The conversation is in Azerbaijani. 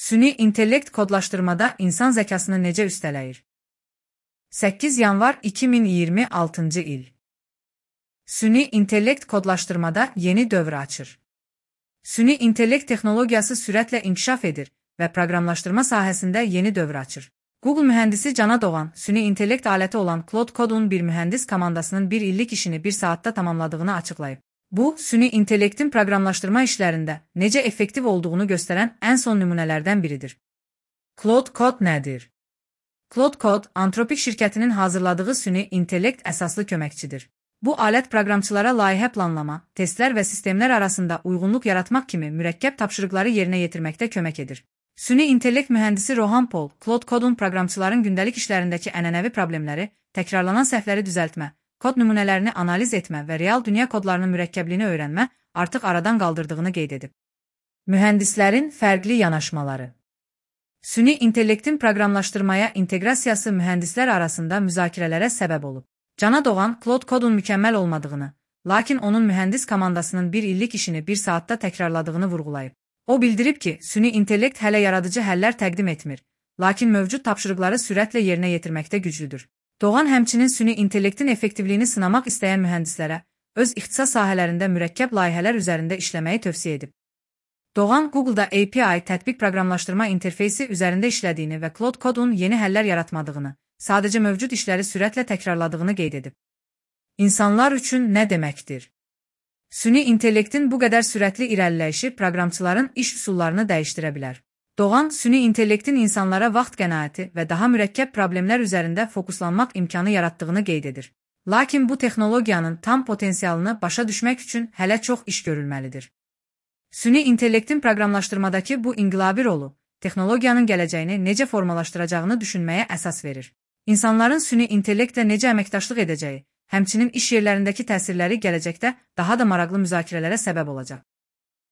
Süni intellekt kodlaşdırmada insan zəkasını necə üstələyir? 8 yanvar 2026-cı il. Süni intellekt kodlaşdırmada yeni dövr açır. Süni intellekt texnologiyası sürətlə inkişaf edir və proqramlaşdırma sahəsində yeni dövr açır. Google mühəndisi Cana Doğan, süni intellekt aləti olan Claude Code'un bir mühəndis komandasının bir illik işini bir saatda tamamladığını açıqlayıb. Bu, süni intellektin proqramlaşdırma işlərində necə effektiv olduğunu göstərən ən son nümunələrdən biridir. Claude Code nədir? Claude Code, Anthropic şirkətinin hazırladığı süni intellekt əsaslı köməkçidir. Bu alət proqramçılara layihə planlama, testlər və sistemlər arasında uyğunluq yaratmaq kimi mürəkkəb tapşırıqları yerinə yetirməkdə kömək edir. Süni intellekt mühəndisi Rohan Paul, Claude Code'un proqramçıların gündəlik işlərindəki ənənəvi problemləri, təkrarlanan səhvləri düzəltmə, kod nümunələrini analiz etmə və real dünya kodlarının mürəkkəbliyini öyrənmə artıq aradan qaldırdığını qeyd edib. Mühəndislərin fərqli yanaşmaları. Süni intellektin proqramlaşdırmaya inteqrasiyası mühəndislər arasında müzakirələrə səbəb olub. Cana Doğan, Claude Code'un mükəmməl olmadığını, lakin onun mühəndis komandasının bir illik işini bir saatda təkrarladığını vurğulayıb. O bildirib ki, süni intellekt hələ yaradıcı həllər təqdim etmir, lakin mövcud tapşırıqları sürətlə yerinə yetirməkdə güclüdür. Doğan həmçinin süni intellektin effektivliyini sınamaq istəyən mühəndislərə öz ixtisas sahələrində mürəkkəb layihələr üzərində işləməyi tövsiyə edib. Doğan, Google'da API tətbiq proqramlaşdırma interfeysi üzərində işlədiyini və Claude Code'un yeni həllər yaratmadığını, sadəcə mövcud işləri sürətlə təkrarladığını qeyd edib. İnsanlar üçün nə deməkdir? Süni intellektin bu qədər sürətli irəliləyişi proqramçıların iş üsullarını dəyişdirə bilər. Doğan, süni intellektin insanlara vaxt qənaəti və daha mürəkkəb problemlər üzərində fokuslanmaq imkanı yaratdığını qeyd edir. Lakin bu texnologiyanın tam potensialını başa düşmək üçün hələ çox iş görülməlidir. Süni intellektin proqramlaşdırmadakı bu inqilabi rolu, texnologiyanın gələcəyini necə formalaşdıracağını düşünməyə əsas verir. İnsanların süni intellektlə necə əməkdaşlıq edəcəyi, həmçinin iş yerlərindəki təsirləri gələcəkdə daha da maraqlı müzakirələrə səbəb olacaq.